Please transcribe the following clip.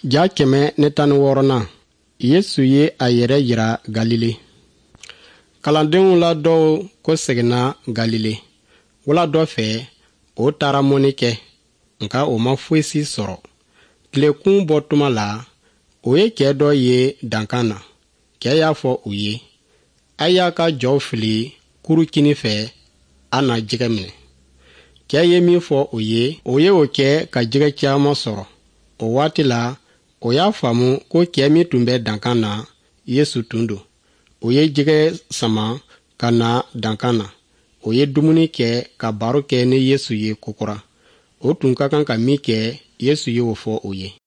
Ja 116nan, Yesu ye a yɛrɛ jira Galile. Kalandenw la dɔw kɔseginna Galile. Wula dɔ fɛ, o taara mɔnni kɛ, nka o ma fosi sɔrɔ. Tilekun bɔ tuma la, o ye cɛ dɔ ye dankan na. Cɛ y'a fɔ u ye, a y'a ka jɔw fili kuru kinin fɛ, a na jɛgɛ minɛ. Cɛ ye min fɔ o ye, o ye o kɛ ka jɛgɛ caman sɔrɔ. O waati la, o y'a faamu ko cɛ min tun bɛ dankan na, Yesu tun don. O ye jɛgɛ sama ka na dankan na. O ye dumuni kɛ ka baro kɛ ni Yesu ye kokura. O tun ka kan ka min kɛ, Yesu ye o fɔ o ye.